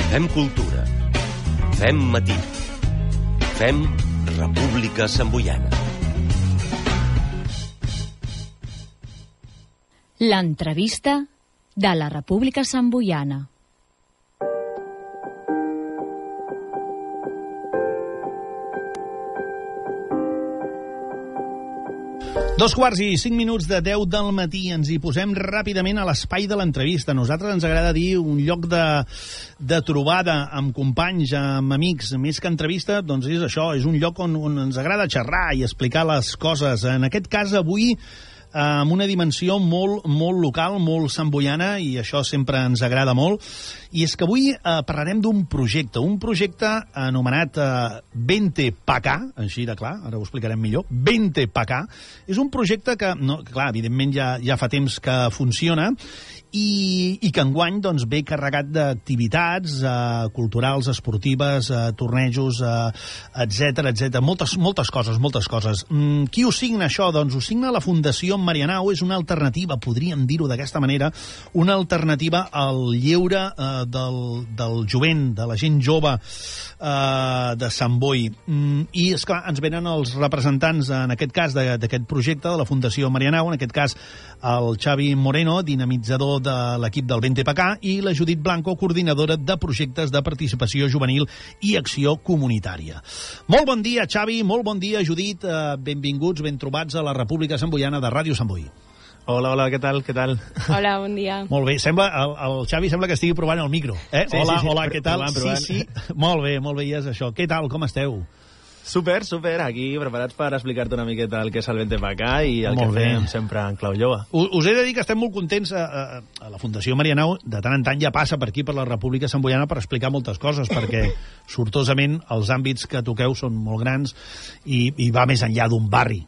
Fem cultura. Fem matí. Fem República Samboiana. L'entrevista de la República Samboiana. Dos quarts i 5 minuts de 10 del matí. Ens hi posem ràpidament a l'espai de l'entrevista. A nosaltres ens agrada dir un lloc de trobada amb companys, amb amics. Més que entrevista, doncs és això, és un lloc on ens agrada xerrar i explicar les coses. En aquest cas, avui, amb una dimensió molt local, molt samboiana, i això sempre ens agrada molt. I és que avui parlarem d'un projecte anomenat Vente pa acá, així de clar, ara ho explicarem millor. Vente pa acá. És un projecte que, clar, evidentment ja fa temps que funciona i que enguany doncs, ve carregat d'activitats culturals, esportives, tornejos, etc. Moltes coses. Qui ho signa, això? Doncs ho signa la Fundació Marianao. És una alternativa, podríem dir-ho d'aquesta manera, una alternativa al lleure del jovent, de la gent jove de Sant Boi. I, esclar, ens venen els representants, en aquest cas, d'aquest projecte, de la Fundació Marianao, en aquest cas el Xavi Moreno, dinamitzador de l'equip del Vente pa acá, i la Judit Blanco, coordinadora de projectes de participació juvenil i acció comunitària. Molt bon dia, Xavi, molt bon dia, Judit. Benvinguts, ben trobats a la República Samboiana de Ràdio Sant Boi. Hola, què tal? Hola, bon dia. Molt bé, el Xavi sembla que estigui provant el micro. Sí, hola, què tal? Provant. Sí, molt bé, i és això. Què tal, com esteu? Super, aquí preparats per explicar-te una miqueta el que és el Vente pa acá i el que fem sempre en clau jove. Us he de dir que estem molt contents. A la Fundació Marianao de tant en tant ja passa per aquí, per la República Samboiana, per explicar moltes coses, perquè sortosament els àmbits que toqueu són molt grans i va més enllà d'un barri.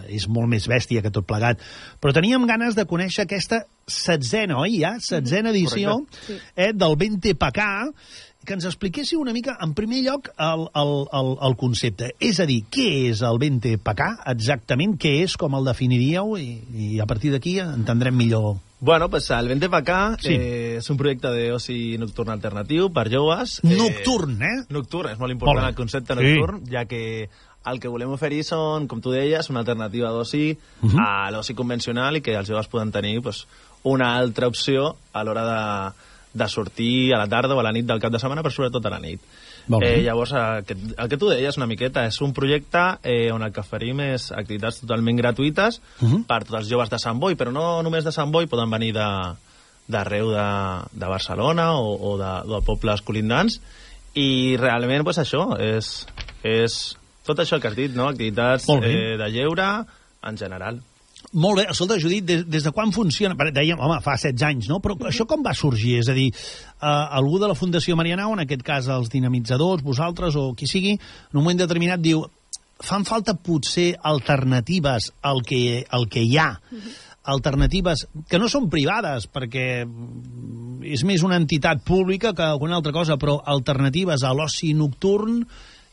És molt més bèstia que tot plegat. Però teníem ganes de conèixer aquesta setzena edició del Vente pa acá, que ens expliquéssiu una mica, en primer lloc, el concepte. És a dir, què és el Vente pa acá exactament? Què és, com el definiríeu? I a partir d'aquí entendrem millor. Bueno, pues el Vente pa acá és un projecte d'oci nocturn alternatiu per joves. Nocturn, Nocturn, és molt important el concepte nocturn, ja que el que volem oferir són, com tu deies, una alternativa d'oci a l'oci convencional i que els joves poden tenir una altra opció a l'hora de sortir a la tarda o a la nit del cap de setmana, però sobretot a la nit. Llavors, el que tu deies una miqueta és un projecte on el que oferim és activitats totalment gratuïtes per tots els joves de Sant Boi, però no només de Sant Boi, poden venir d'arreu de Barcelona o de pobles colindants, i realment això és tot això que has dit, no? Activitats de lleure en general. Molt bé. Escolta, Judit, des de quan funciona? Dèiem, home, fa 16 anys, no? Però això com va sorgir? És a dir, algú de la Fundació Marianao, en aquest cas els dinamitzadors, vosaltres o qui sigui, en un moment determinat diu, fan falta potser alternatives al que hi ha, alternatives que no són privades, perquè és més una entitat pública que una altra cosa, però alternatives a l'oci nocturn,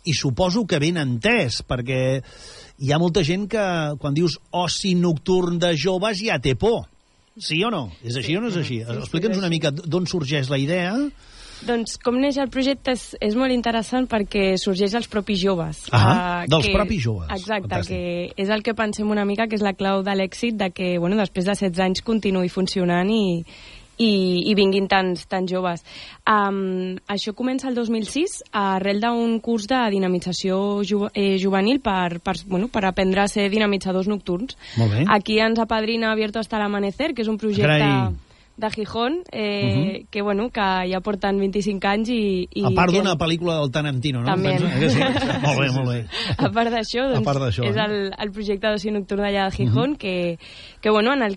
i suposo que ben entès, perquè hi ha molta gent que quan dius oci nocturn de joves ja té por. Sí o no? És així o no és així? Explica'ns una mica d'on sorgeix la idea. Doncs com neix el projecte és molt interessant perquè sorgeix dels propis joves. Dels propis joves. Exacte, fantàstic. Que és el que pensem una mica que és la clau de l'èxit de que després de 16 anys continuï funcionant i vinguin tants joves. Això comença el 2006 arrel d'un curs de dinamització juvenil per aprendre a ser dinamitzadors nocturns. Aquí ens apadrina Abierto hasta el amanecer, que és un projecte de Gijón, que ja porten 25 anys i a part d'una pel·lícula del Tarantino, no? També. Molt bé. A part d'això, és el projecte d'oci nocturn d'allà de Gijón, en el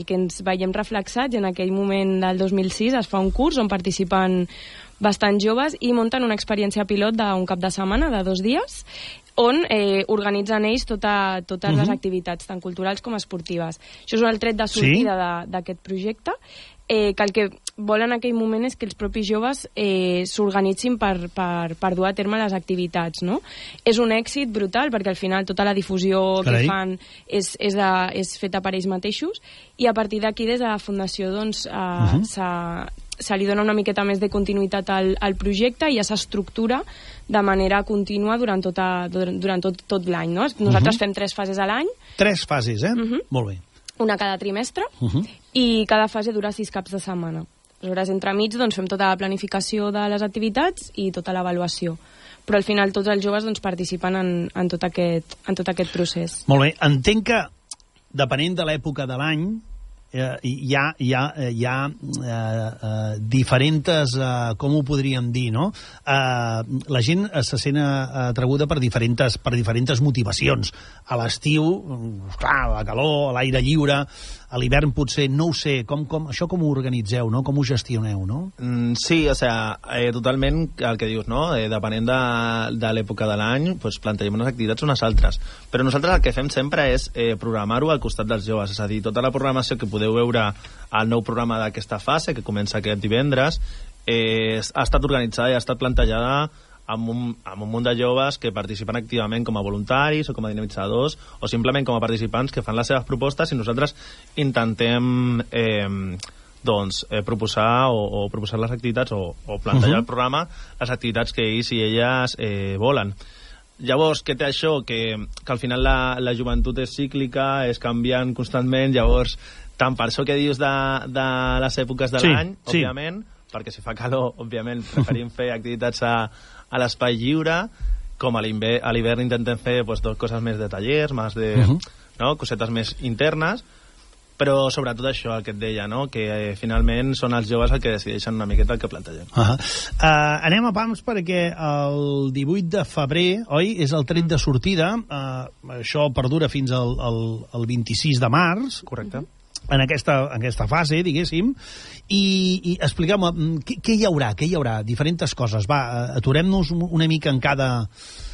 que ens veiem reflexats. En aquell moment del 2006 es fa un curs on participen bastants joves i munten una experiència pilot d'un cap de setmana, de 2 dies, on organitzen ells totes les activitats, tant culturals com esportives. Això és el tret de sortida d'aquest projecte, que el que volen en aquell moment és que els propis joves s'organitzin per dur a terme les activitats, no? És un èxit brutal, perquè al final tota la difusió que fan és feta per ells mateixos, i a partir d'aquí des de la Fundació se li dona una miqueta més de continuïtat al projecte i ja s'estructura de manera contínua durant tot l'any, no? Nosaltres fem 3 fases a l'any. 3 fases, Molt bé. Una cada trimestre, i cada fase dura 6 caps de setmana. Aleshores, entremig, doncs, fem tota la planificació de les activitats i tota l'avaluació. Però al final tots els joves doncs, participen en tot aquest procés. Molt bé. Entenc que, depenent de l'època de l'any, hi ha diferents, com ho podríem dir, no? La gent se sent atraguda per diferents motivacions. A l'estiu, clar, la calor, l'aire lliure, a l'hivern potser, no ho sé, això com ho organitzeu, no? Com ho gestioneu, no? Sí, o sigui, totalment el que dius, no? Depenent de l'època de l'any, doncs plantegem unes activitats unes altres. Però nosaltres el que fem sempre és programar-ho al costat dels joves, és a dir, tota la programació que podeu veure al nou programa d'aquesta fase, que comença aquest divendres, ha estat organitzada i ha estat plantejada amb un munt de joves que participen activament com a voluntaris o com a dinamitzadors o simplement com a participants que fan les seves propostes i nosaltres intentem proposar o proposar les activitats o plantejar al programa les activitats que ells i elles volen. Llavors, què té això? Que al final la joventut és cíclica, és canviant constantment, llavors, tant per això que dius de les èpoques de l'any, òbviament, perquè si fa calor, òbviament, preferim fer activitats a l'espai lliure, com a l'hivern intentem fer coses més de tallers, cosetes més internes, però sobretot això, el que et deia, no? Que finalment són els joves els que decideixen una miqueta el que plantegem. Anem a pams perquè el 18 de febrer, oi, és el tret de sortida, això perdura fins al 26 de març. Correcte. En aquesta fase, diguéssim, i expliqueu-me, què hi haurà? Diferents coses. Va, aturem-nos una mica en cada,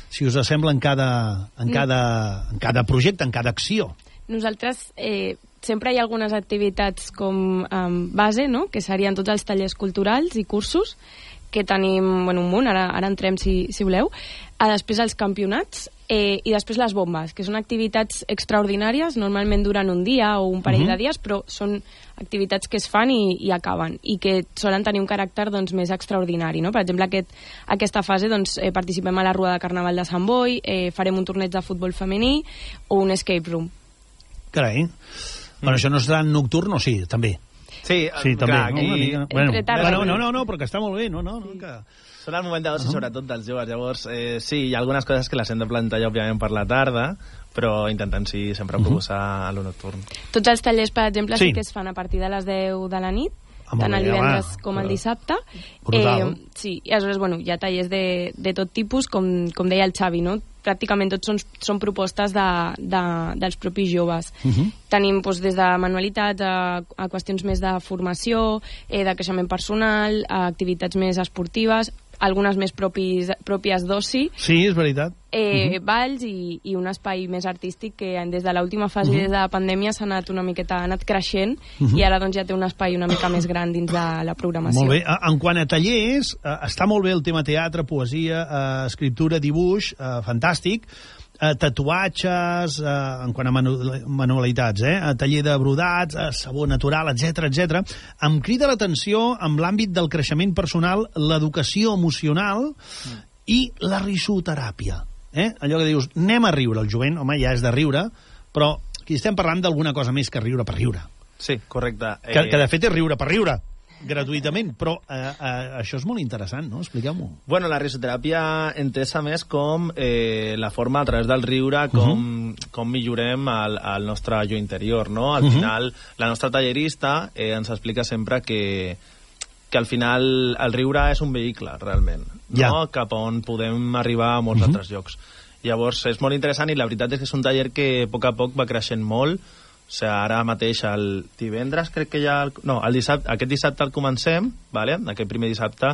si us sembla, en cada projecte, en cada acció. Nosaltres sempre hi ha algunes activitats com base, no?, que serien tots els tallers culturals i cursos, que tenim un munt, ara entrem si voleu. Després els campionats i després les bombes, que són activitats extraordinàries, normalment duren un dia o un parell de dies, però són activitats que es fan i acaben, i que solen tenir un caràcter més extraordinari, no? Per exemple, aquesta fase participem a la Rua de Carnaval de Sant Boi, farem un torneig de futbol femení o un escape room. Carai. Bueno, això no serà nocturn o sí, també? Sí, també. Clar, aquí... No, però que està molt bé. Són el moment d'oci, sobretot dels joves. Llavors, sí, hi ha algunes coses que les hem de plantejar, òbviament, per la tarda, però intentem, sí, sempre proposar a lo nocturn. Tots els tallers, per exemple, sí que es fan a partir de les 10 de la nit, tant el divendres com el dissabte. Sí, i aleshores, hi ha tallers de tot tipus, com deia el Xavi, no? Pràcticament tots són propostes dels propis joves. Tenim des de manualitats a qüestions més de formació, de creixement personal, a activitats més esportives, algunes més pròpies d'oci. Sí, és veritat. Balls i un espai més artístic que des de l'última fase, des de la pandèmia, s'ha anat creixent i ara ja té un espai una mica més gran dins de la programació. Molt bé. En quant a tallers, està molt bé el tema teatre, poesia, escriptura, dibuix, fantàstic. Tatuatges, en quant a manualitats, taller de brodats, sabó natural, etc. Em crida l'atenció amb l'àmbit del creixement personal, l'educació emocional i la risoteràpia. Allò que dius, anem a riure, el jovent, home, ja és de riure, però aquí estem parlant d'alguna cosa més que riure per riure. Sí, correcte. Que de fet és riure per riure, gratuïtament, però això és molt interessant, no? Expliqueu-m'ho. Bueno, la risoteràpia entesa més com la forma a través del riure, com millorem el nostre jo interior, no? Al final, la nostra tallerista ens explica sempre que al final el riure és un vehicle, realment, no? Cap on podem arribar a molts altres llocs. Llavors, és molt interessant i la veritat és que és un taller que a poc va creixent molt. O sigui, ara mateix el divendres crec que ja... No, aquest dissabte el comencem, vale? Aquest primer dissabte,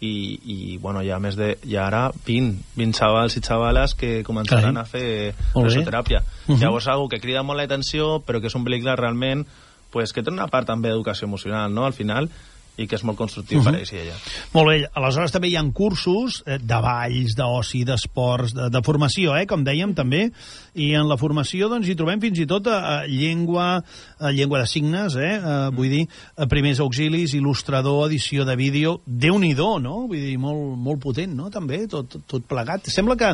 i bueno, hi ha més de... Hi ha ara 20 xavals i xavales que començaran a fer risoteràpia. Llavors, algo que crida molt l'atenció, però que és un vehicle realment que té una part també d'educació emocional, no? Al final, i que és molt constructiu per ells i elles. Molt bé, aleshores també hi ha cursos de balls, d'oci, d'esports, de formació, com dèiem també, i en la formació doncs hi trobem fins i tot llengua de signes, vull dir, primers auxilis, il·lustrador, edició de vídeo, Déu-n'hi-do, no? Vull dir, molt potent, no? També, tot plegat. Sembla que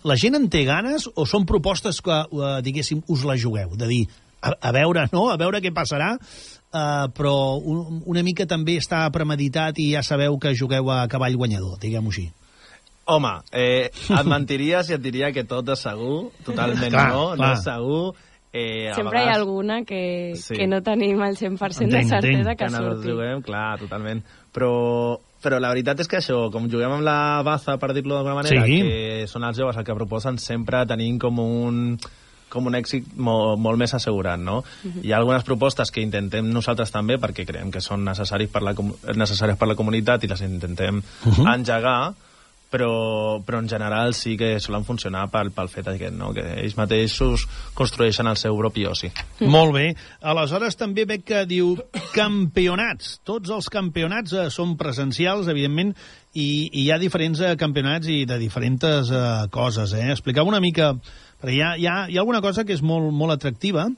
la gent en té ganes o són propostes que, diguéssim, us la jugueu? De dir, a veure, no? A veure què passarà, però una mica també està premeditat i ja sabeu que jugueu a cavall guanyador, diguem-ho així. Home, et mentiries i et diria que tot és segur, totalment no és segur. Sempre hi ha alguna que no tenim el 100% de certesa que surti. Juguem, clar, totalment. Però la veritat és que això, com juguem amb la baza, per dir-lo d'alguna manera, que són els joves el que proposen, sempre tenim com un èxit molt més assegurat, no? Hi ha algunes propostes que intentem nosaltres també, perquè creiem que són necessàries per la comunitat i les intentem engegar, però en general sí que solen funcionar pel fet aquest, no? Que ells mateixos construeixen el seu propi oci. Molt bé. Aleshores també veig que diu campionats. Tots els campionats són presencials, evidentment, i hi ha diferents campionats i de diferents coses. Expliqueu una mica, perquè hi ha alguna cosa que és molt atractiva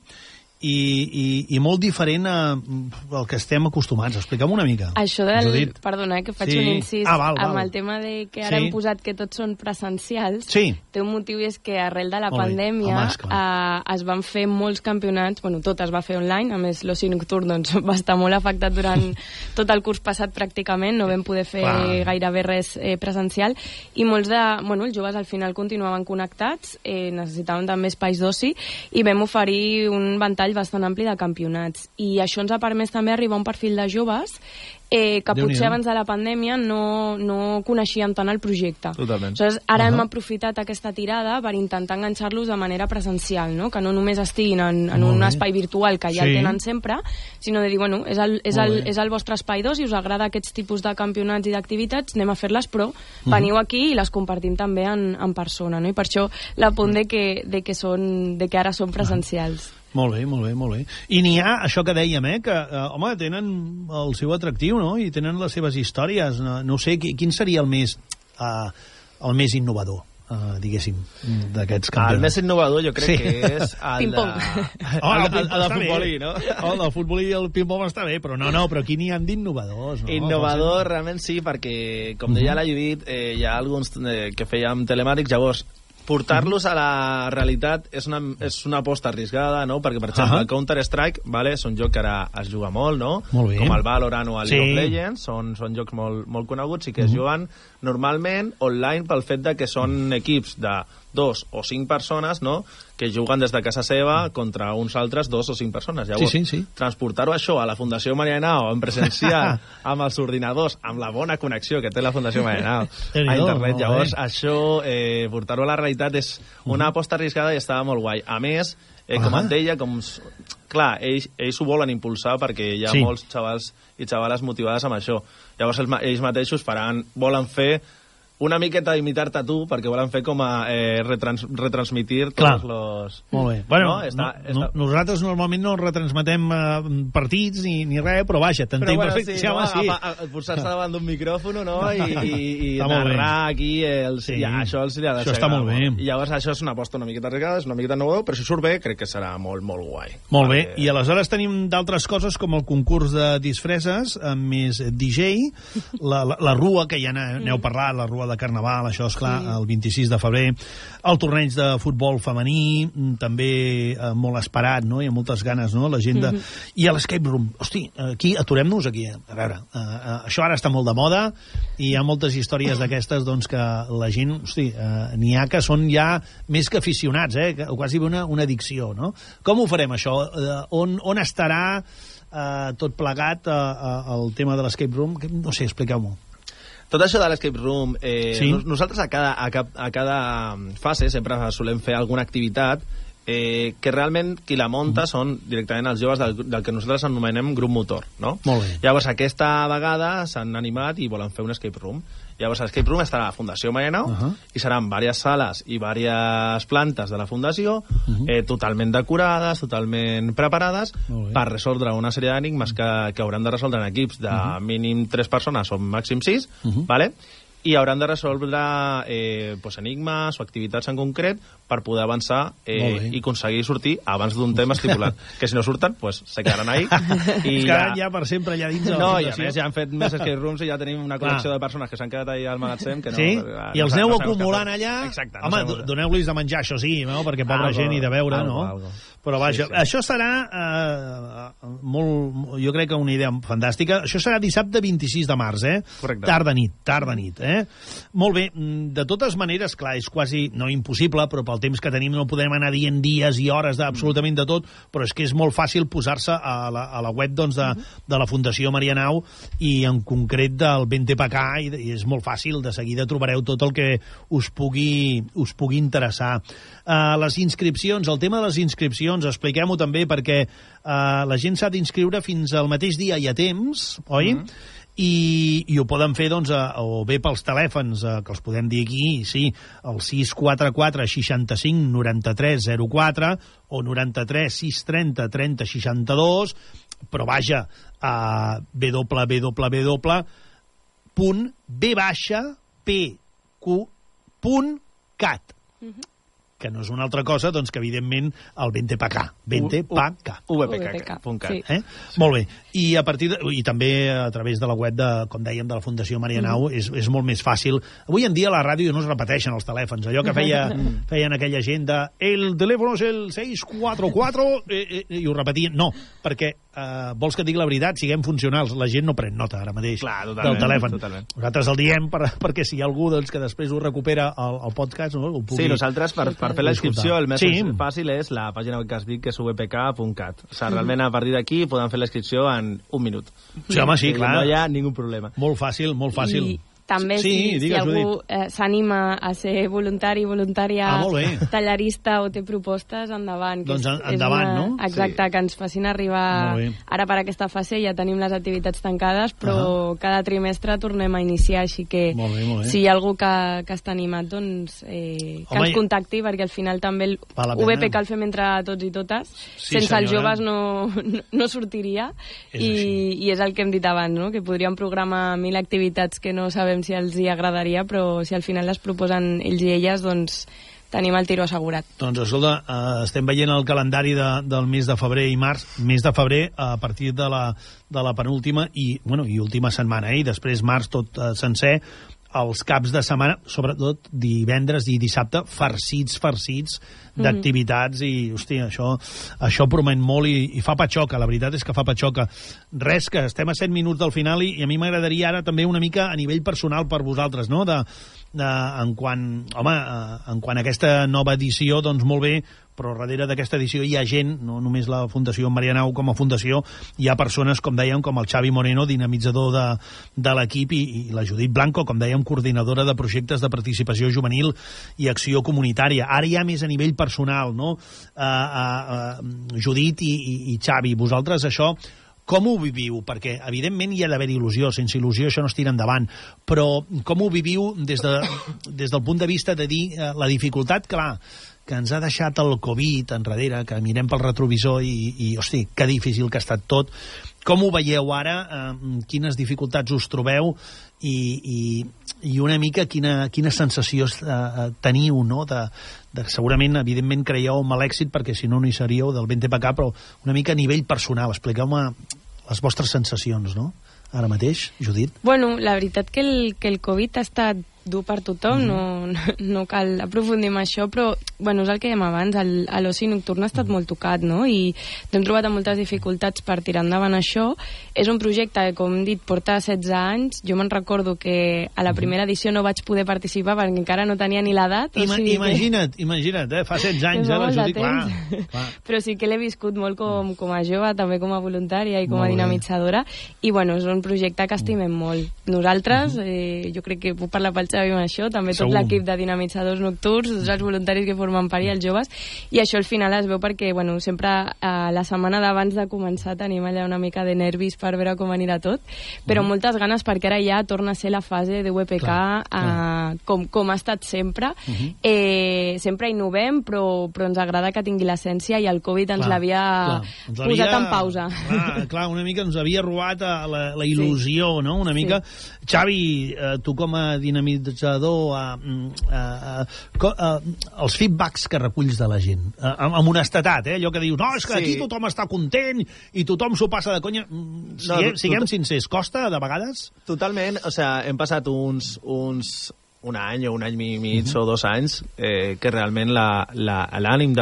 i molt diferent al que estem acostumats. Expliquem una mica. Això del... Perdona, que faig un incís. Amb el tema de que ara hem posat que tots són presencials, té un motiu i és que arrel de la pandèmia es van fer molts campionats, bueno, tot es va fer online, a més l'oci nocturn doncs, va estar molt afectat durant tot el curs passat pràcticament, no vam poder fer gairebé res presencial, i molts els joves al final continuaven connectats, necessitaven també espais d'oci, i vam oferir un ventall bastant ampli de campionats. I això ens ha permès també arribar a un perfil de joves que potser abans de la pandèmia no coneixien tant el projecte. Totalment. Aleshores, ara hem aprofitat aquesta tirada per intentar enganxar-los de manera presencial, no? Que no només estiguin en un espai virtual que ja el tenen sempre, sinó de dir, bueno, és el vostre espai d'oci, us agrada aquests tipus de campionats i d'activitats, anem a fer-les, però veniu aquí i les compartim també en persona, no? I per això l'apunt de que ara són presencials. Molt bé, molt bé, molt bé. I n'hi ha, això que dèiem, que, home, tenen el seu atractiu, no? I tenen les seves històries. No sé, quin seria el més innovador, diguéssim, d'aquests campionats? El més innovador jo crec que és el de futbolí, no? El del futbolí i el ping-pong està bé, però però aquí n'hi ha d'innovadors, no? Innovador realment sí, perquè, com deia la Judit, hi ha alguns que fèiem telemàtics, llavors portar-los a la realitat és una aposta arriscada, no? Perquè, per exemple, el Counter-Strike, és un joc que ara es juga molt, no? Molt bé. Com el Valorant o el League of Legends, són jocs molt coneguts i que es juguen normalment online pel fet de que són equips de 2 o 5 persones, no?, que juguen des de casa seva contra uns altres 2 o 5 persones. Llavors, transportar-ho això a la Fundació Marianao en presencial, amb els ordinadors, amb la bona connexió que té la Fundació Marianao a internet, llavors això, portar-ho a la realitat és una aposta arriscada i estava molt guai. A més, com et deia, clar, ells ho volen impulsar perquè hi ha molts xavals i xavales motivades amb això. Llavors ells mateixos volen fer una miqueta imitar-te a tu, perquè volen fer com a retransmitir tots els... Molt bé. Bueno, nosaltres normalment no retransmetem partits ni res, però vaja, t'entenc perfectament. Posar-se davant d'un micròfon, no?, i narrar aquí... Això els li ha de ser. Això està molt bé. I llavors això és una aposta una miqueta arreglada, és una miqueta innovador, però si surt bé, crec que serà molt, molt guai. Molt bé. I aleshores tenim d'altres coses com el concurs de disfresses, amb més DJ, la rua, que ja n'heu parlat, la rua de Carnaval, això és clar, el 26 de febrer, el torneig de futbol femení, també molt esperat, no?, i amb moltes ganes, no?, la gent de... I a l'escape room. Hosti, aquí, aturem-nos aquí. A veure, això ara està molt de moda i hi ha moltes històries d'aquestes, doncs, que la gent, hosti, n'hi ha que són ja més que aficionats, quasi una addicció, no? Com ho farem, això? On estarà tot plegat el tema de l'escape room? No sé, expliqueu-m'ho. Tot això de l'escape room, nosaltres a cada fase sempre solem fer alguna activitat que realment qui la munta són directament els joves del que nosaltres anomenem grup motor, no? Molt bé. Llavors, aquesta vegada s'han animat i volen fer un escape room. Llavors, l'escape room estarà a la Fundació Marianao i seran diverses sales i diverses plantes de la Fundació, totalment decorades, totalment preparades per resoldre una sèrie d'enigmes que hauran de resoldre en equips de mínim 3 persones o màxim 6, ¿vale? I hauran de resoldre enigmes o activitats en concret per poder avançar i aconseguir sortir abans d'un tema estipulat. Que si no surten, se quedaran ahí. I quedaran ja per sempre allà dins de la No, fundació. i a més ja han fet més escape rooms i ja tenim una col·lecció de persones que s'han quedat ahí al magatzem. Que no, sí? I els aneu acumulant allà? Exacte. Home, doneu-los de menjar, això sí, no? Perquè pobra gent i de beure, no? Però vaja, això serà molt... Jo crec que una idea fantàstica. Això serà dissabte 26 de març, Correcte. Tarda nit, Molt bé, de totes maneres, clar, és quasi no impossible, però pel temps que tenim no podem anar dient dies i hores d'absolutament de tot, però és que és molt fàcil posar-se a la web doncs, de la Fundació Marianao i en concret del BNTPK i és molt fàcil, de seguida trobareu tot el que us pugui interessar. Les inscripcions, el tema de les inscripcions, expliquem-ho també perquè la gent s'ha d'inscriure fins al mateix dia i a temps, oi? I ho poden fer doncs, o bé pels telèfons que els podem dir aquí, sí, el 644 65 93 04 o 93 630 30 62, però vaja, www.b-pq.cat que no és una altra cosa doncs, que evidentment el BNTPK vpk.cat. Sí. Molt bé, i també a través de la web com dèiem, de la Fundació Marianao és molt més fàcil. Avui en dia a la ràdio no es repeteixen els telèfons, allò que feien aquella gent de el telèfon és el 644 i ho repetien, no, perquè vols que et digui la veritat, siguem funcionals, la gent no pren nota ara mateix del telèfon. Nosaltres el diem perquè si hi ha algú doncs, que després ho recupera el podcast, no? Sí, nosaltres per fer la inscripció el més fàcil és la pàgina web que has dit, que és vpk.cat. O sigui, realment a partir d'aquí podem fer la inscripció en un minut. Sí, home, sí, clar. No hi ha ningú problema. Molt fàcil, molt fàcil. I també si algú s'anima a ser voluntari, voluntària, tallarista o té propostes, endavant. Doncs endavant, no? Exacte, que ens facin arribar... Ara per aquesta fase ja tenim les activitats tancades, però cada trimestre tornem a iniciar, així que si hi ha algú que està animat, doncs que ens contacti, perquè al final també el VPK el fem entre tots i totes. Sense els joves no sortiria, i és el que hem dit abans, que podríem programar 1000 activitats que no sabem si els hi agradaria, però si al final les proposen ells i elles, doncs tenim el tiro assegurat. Doncs escolta, estem veient el calendari del mes de febrer i març, mes de febrer a partir de la penúltima i última setmana, i després març tot sencer, els caps de setmana, sobretot divendres i dissabte, farcits d'activitats, i hòstia, això promet molt i fa patxoca, la veritat és que fa patxoca. Res, que estem a 7 minuts del final i a mi m'agradaria ara també una mica a nivell personal per vosaltres, no? En quant a aquesta nova edició, doncs molt bé, però darrere d'aquesta edició hi ha gent, no només la Fundació Marianao com a fundació, hi ha persones, com dèiem, com el Xavi Moreno, dinamitzador de l'equip, i la Judit Blanco, com dèiem, coordinadora de projectes de participació juvenil i acció comunitària. Ara ja més a nivell personal, no? Judit i Xavi, vosaltres això com ho viviu? Perquè, evidentment, hi ha d'haver il·lusió. Sense il·lusió això no es tira endavant. Però com ho viviu des del punt de vista de dir la dificultat, clar, que ens ha deixat el Covid enrere, que mirem pel retrovisor i hosti, que difícil que ha estat tot. Com ho veieu ara? Quines dificultats us trobeu? I una mica quines sensacions teniu, no? Segurament, evidentment, creieu amb l'èxit, perquè si no, no hi seríeu del BNTPK, però una mica a nivell personal. Expliqueu-me les vostres sensacions, no? Ara mateix, Judit. Bueno, la veritat que el Covid ha estat dur per tothom, no cal aprofundir en això, però bueno, és el que dèiem abans, l'oci nocturn ha estat molt tocat, no? I hem trobat moltes dificultats per tirar endavant això. És un projecte que, com hem dit, porta 16 anys. Jo me'n recordo que a la primera edició no vaig poder participar perquè encara no tenia ni l'edat. Imagina't, fa 16 anys, la Judit, clar. Però sí que l'he viscut molt com a jove, també com a voluntària i com a dinamitzadora, i bueno, és un projecte que estimem molt. Nosaltres, jo crec que puc parlar pel Xavi amb això, també tot l'equip de dinamitzadors nocturns, tots els voluntaris que formen part i els joves, i això al final es veu perquè, bueno, sempre la setmana d'abans de començar tenim allà una mica de nervis per veure com anirà tot, però moltes ganes perquè ara ja torna a ser la fase de UEPK com ha estat sempre. Sempre innovem, però ens agrada que tingui l'essència i el Covid ens l'havia posat en pausa. Clar, una mica ens havia robat la il·lusió, no? Una mica. Xavi, tu com a dinamitzador, els feedbacks que reculls de la gent, amb honestedat, allò que dius, no, és que aquí tothom està content i tothom s'ho passa de conya. Siguem sincers, costa de vegades? Totalment, o sigui, hem passat un any o un any i mig o 2 anys que realment l'ànim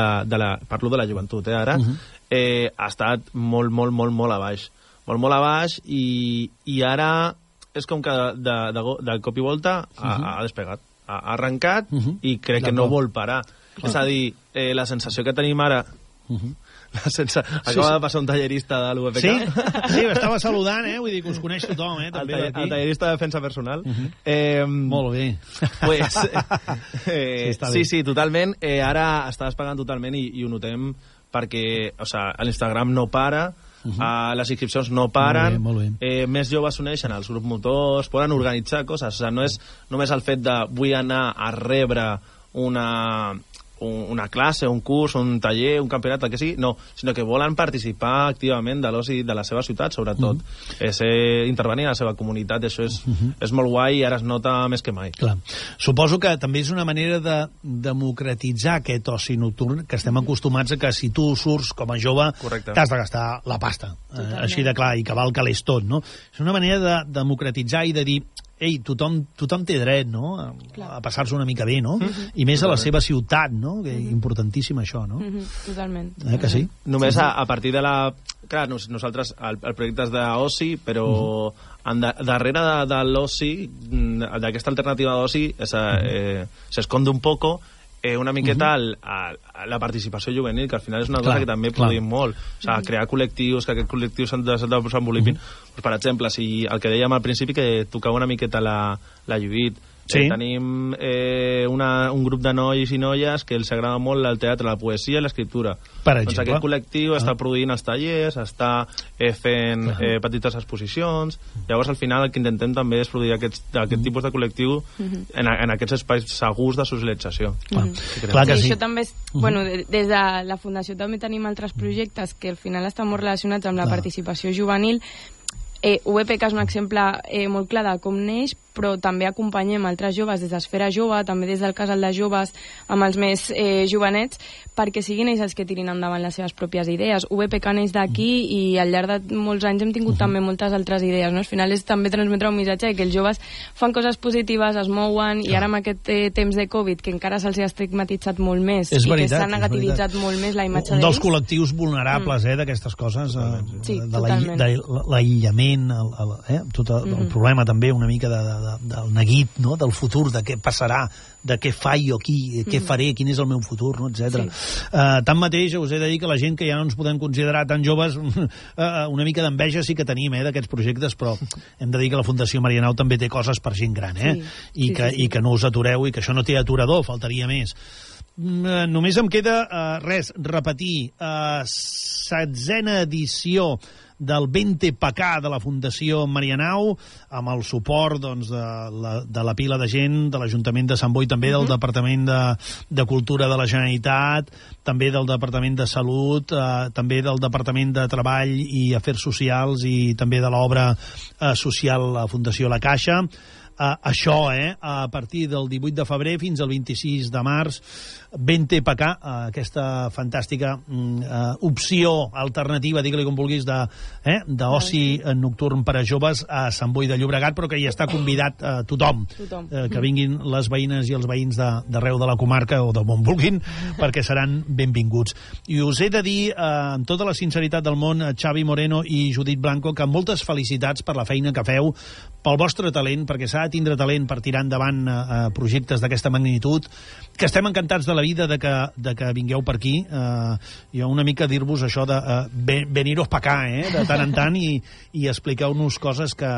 parlo de la joventut, ara, ha estat molt a baix. Molt a baix i ara és com que de cop i volta ha despegat. Ha arrencat i crec que no vol parar. És a dir, la sensació que tenim ara... Acaba de passar un tallerista de l'UEPK. Sí, m'estava saludant, vull dir que us coneix tothom, també d'aquí. El tallerista de defensa personal. Molt bé. Sí, totalment. Ara està despegant totalment i ho notem perquè l'Instagram no para, les inscripcions no paren, més joves s'uneixen als grups motors, poden organitzar coses, no és només el fet de vull anar a rebre una classe, un curs, un taller, un campionat, el que sigui, no, sinó que volen participar activament de l'oci de la seva ciutat, sobretot. Intervenir a la seva comunitat, això és molt guai i ara es nota més que mai. Clar. Suposo que també és una manera de democratitzar aquest oci nocturn, que estem acostumats a que si tu surts com a jove t'has de gastar la pasta. Així de clar, i que val calés tot, no? És una manera de democratitzar i de dir tothom té dret, no?, a passar-se una mica bé, no? I més a la seva ciutat, no? Que importantíssim això, no? Totalment. Que sí? Només a partir de la... Clar, nosaltres, el projecte és d'oci, però darrere de l'oci, d'aquesta alternativa d'oci, s'esconde un poco una miqueta la participació juvenil, que al final és una cosa que també produïm molt. O sigui, crear col·lectius, que aquests col·lectius s'han de desenvolupar. Per exemple, si el que dèiem al principi, que tocava una miqueta la Lluït, tenim un grup de nois i noies que els agrada molt el teatre, la poesia i l'escriptura. Doncs aquest col·lectiu està produint els tallers, està fent petites exposicions. Llavors, al final, el que intentem també és produir aquest tipus de col·lectiu en aquests espais segurs de socialització. Clar que sí. Això també és... Bueno, des de la Fundació també tenim altres projectes que al final estan molt relacionats amb la participació juvenil. UEPK és un exemple molt clar de com neix, però també acompanyem altres joves des d'Esfera Jove, també des del Casal de Joves, amb els més jovenets, perquè siguin ells els que tirin endavant les seves pròpies idees. UEPK neix d'aquí i al llarg de molts anys hem tingut també moltes altres idees, no? Al final és també transmetre un missatge que els joves fan coses positives, es mouen, i ara amb aquest temps de Covid, que encara se'ls ha estigmatitzat molt més, i que s'ha negativitzat molt més la imatge d'ells. Un dels col·lectius vulnerables d'aquestes coses, de l'aïllament, tot el problema també una mica del neguit, no?, del futur, de què passarà, de què faig jo aquí, què faré, quin és el meu futur, no?, etc. Tanmateix, us he de dir que la gent que ja no ens podem considerar tan joves, una mica d'enveja sí que tenim d'aquests projectes, però hem de dir que la Fundació Marianao també té coses per gent gran, i que no us atureu, i que això no té aturador, faltaria més. Només em queda repetir, 16a edició del 20PK de la Fundació Marianao, amb el suport de la pila de gent, de l'Ajuntament de Sant Boi, també del Departament de Cultura de la Generalitat, també del Departament de Salut, també del Departament de Treball i Afers Socials, i també de l'obra social la Fundació La Caixa. Això, a partir del 18 de febrer fins al 26 de març, 20PK, aquesta fantàstica opció alternativa, digue-li com vulguis, d'oci nocturn per a joves a Sant Boi de Llobregat, però que hi està convidat tothom, que vinguin les veïnes i els veïns d'arreu de la comarca o d'on vulguin, perquè seran benvinguts. I us he de dir, amb tota la sinceritat del món, Xavi Moreno i Judit Blanco, que moltes felicitats per la feina que feu, pel vostre talent, perquè s'ha s'ha de tindre talent per tirar endavant projectes d'aquesta magnitud, que estem encantats de la vida de que vingueu per aquí. Jo una mica dir-vos això de veniros pa acá, de tant en tant, i expliqueu-nos coses que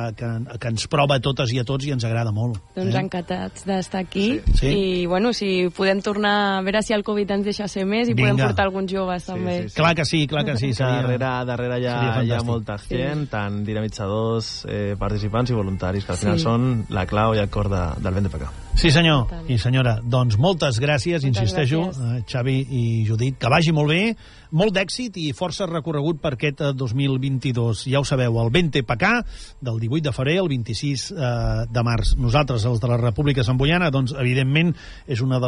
ens prova a totes i a tots i ens agrada molt. Doncs encantats d'estar aquí. I, bueno, si podem tornar a veure si el Covid ens deixa ser més i podem portar alguns joves també. Clar que sí, clar que sí. Darrere hi ha molta gent, tant dinamitzadors, participants i voluntaris, que al final són la clau i el cor del Vent de Pacà. Sí, senyor i senyora. Doncs moltes gràcies, insisteixo, Xavi i Judit. Que vagi molt bé, molt d'èxit i força recorregut per aquest 2022. Ja ho sabeu, el Vent de Pacà, del 18 de febrer al 26 de març. Nosaltres, els de la República Santboiana, doncs, evidentment, és una de les